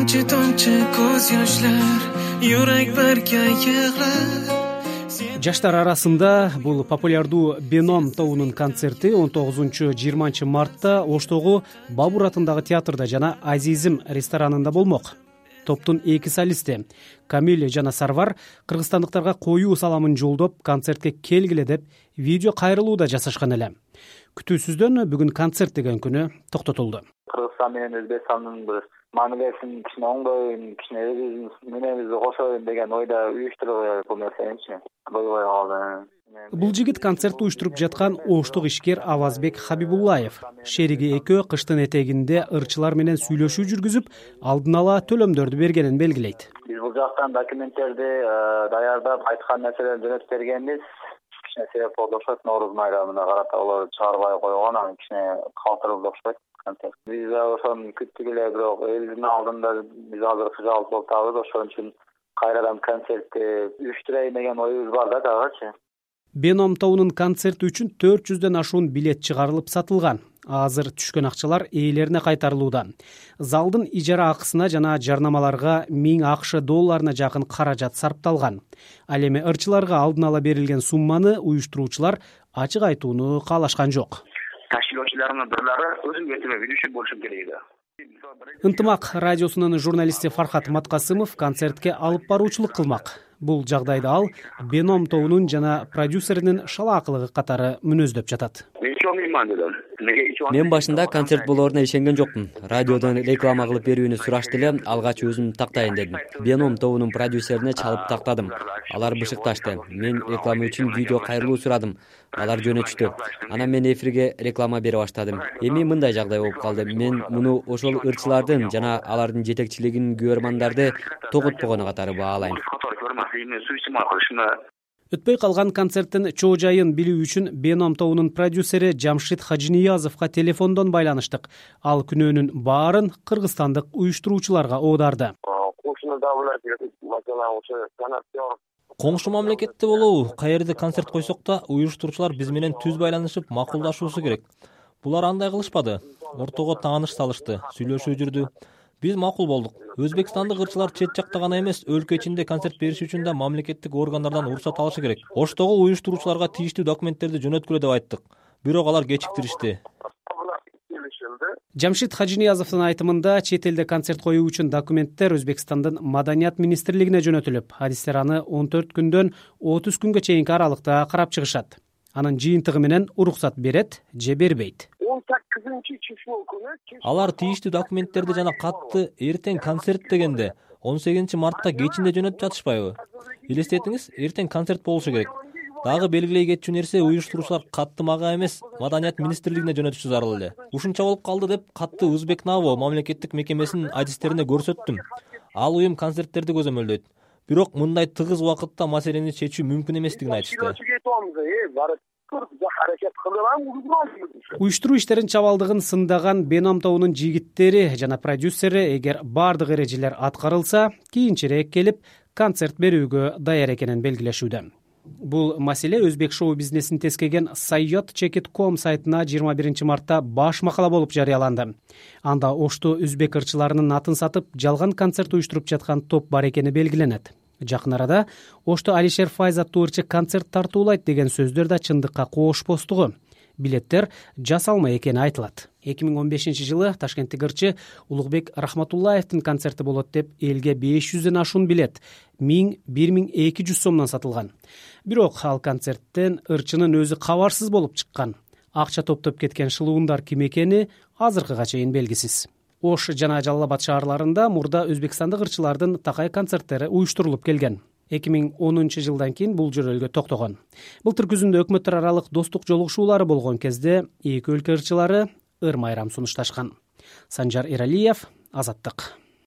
tomchi ko'z yoshlar, yurak barga yig'lar. Жаштар арасында бул популярдуу Беном тобунун концерти 19-20 мартта Оштогу Бабур атындагы театрда жана Азизим ресторанында болмок. Топтун эки солисти Камиль жана Сарвар кыргызстандыктарга коюу саламын жолдоп, концертке келгиле деп видео кайрылууда жасашкан эле. Күтүүсүздөн бүгүн концерт деген күнү токтотулду. Кыргызстан менен Өзбекстандын бир мамилесин кичине оңдойм, кичине менебизди кошоюн деген ойда уюштуруп бул нерсени бойбой калды. Бул жигит концерт уюштуруп жаткан оштук ишкер Авазбек Хабибуллаев. Шериги экөө кыштын этегинде ырчылар менен сүйлөшүү жүргүзүп, алдын ала төлөмдөрдү бергенин белгилейт. Биз бул жактан документтерди даярдап, айткан нерселерди жөнөтүп бергенбиз. Кичине себеп болду окшойт, Нооруз майрамына карата алар чыгарбай койгон, анан кичине калтырылды окшойт. Биз ошону күттүк эле, бирок элдин алдында биз азыр кыжалып болуп атабыз. Ошон үчүн кайрадан концертти уюштурайын деген оюбуз бар да дагычы. Беном тобунун концерти үчүн 400дөн ашуун билет чыгарылып сатылган. Азыр түшкөн акчалар ээлерине кайтарылууда. Залдын ижара акысына жана жарнамаларга 1000 АКШ долларына жакын каражат сарпталган. Ал эми ырчыларга алдын ала берилген сумманы уюштуруучулар ачык айтууну каалашкан жок. Ташкилоочулардын бирлери өзүн кетиме билиши болушу керек да. Ынтымак радиосунун журналисти Фархат Маткасымов концертке алып баруучулук кылмак. Бул жагдайда ал Беном тобунун жана продюсеринин шалаакылыгы катары мүнөздөп жатат. Мен башында концерт болоруна ишенген жокмун. Радиодон реклама кылып берүүнү сурашты эле, алгач өзүм тактайын дедим. Беном тобунун продюсерине чалып тактадым. Алар бышыкташты. Мен реклама үчүн видео кайрылуу сурадым. Алар жөнөтүштү. Анан мен эфирге реклама бере баштадым. Эми мындай жагдай болуп калды. Мен муну ошол ырчылардын жана алардын жетекчилигинин көрөрмандарды тогутпогону катары баалайм. Өтпөй калган концерттин чоо жайын билүү үчүн Беном тобунун продюсери Жамшит Хажиниязовго телефондон байланыштык. Ал күнөөнүн баарын кыргызстандык уюштуруучуларга оодарды. Коңшу мамлекетте болобу, каерде концерт койсок да, уюштуруучулар биз менен түз байланышып, макулдашуусу керек. Булар андай кылышпады. Ортого тааныш салышты, сүйлөшүү жүрдү. Биз макул болдук. Өзбекстандык ырчылар чет жакта гана эмес, өлкө ичинде концерт бериш үчүн да мамлекеттик органдардан уруксат алышы керек. Оштогу уюштуруучуларга тийиштүү документтерди жөнөткүлө деп айттык. Бирок алар кечиктиришти. Жамшит Хажиниязовдун айтымында чет элде концерт коюу үчүн документтер Өзбекстандын Маданият министрлигине жөнөтүлүп, адистер аны 14 күндөн 30 күнгө чейинки аралыкта карап чыгышат. Анын жыйынтыгы менен уруксат берет же бербейт. Алар тийиштүү документтерди жана катты эртең концерт дегенде 18 мартта кечинде жөнөтүп жатышпайбы? Элестетиңиз, эртең концерт болушу керек. Дагы белгилей кетчү нерсе, уюштуруучулар катты мага эмес, Маданият министрлигине жөнөтүшү зарыл эле. Ушунча болуп калды деп катты Узбекнаво мамлекеттик мекемесинин адистерине көрсөттүм. Ал уюм концерттерди көзөмөлдөйт. Бирок мындай тыгыз убакытта маселени чечүү мүмкүн эместигин айтышты. Уюштуруу иштерин чабалдыгын сындаган Беном тобунун жигиттери жана продюсери эгер бардык эрежелер аткарылса, кийинчерээк келип концерт берүүгө даяр экенин белгилешүүдө. Бул маселе өзбек шоу бизнесин тескеген Sayyot.com сайтына 21 мартта баш макала болуп жарыяланды. Анда Ошто өзбек ырчыларынын атын сатып, жалган концерт уюштуруп жаткан топ бар экени белгиленет. Жакын арада Ошто Алишер Файз аттуу ырчы концерт тартуулайт деген сөздөр да чындыкка коошпостугу. Билеттер жасалма экени айтылат. 2015-жылы Ташкенттик ырчы Улукбек Рахматуллаевдин концерти болот деп элге 500дөн ашуун билет 1000-1200 сомдон сатылган. Бирок ал концерттен ырчынын өзү кабарсыз болуп чыккан. Акча топтоп кеткен шылуундар ким экени азыркыга чейин белгисиз. Ош жана Жалал Абад шаарларында мурда өзбекстандык ырчылардын такай концерттери уюштурулуп келген. 2010-жылдан кийин бул жөрөлгө токтогон. Былтыр күзүндө өкмөттөр аралык достук жолугушуулары болгон кезде эки өлкө ырчылары ыр майрам сунушташкан. Санжар Эралиев, Азаттык.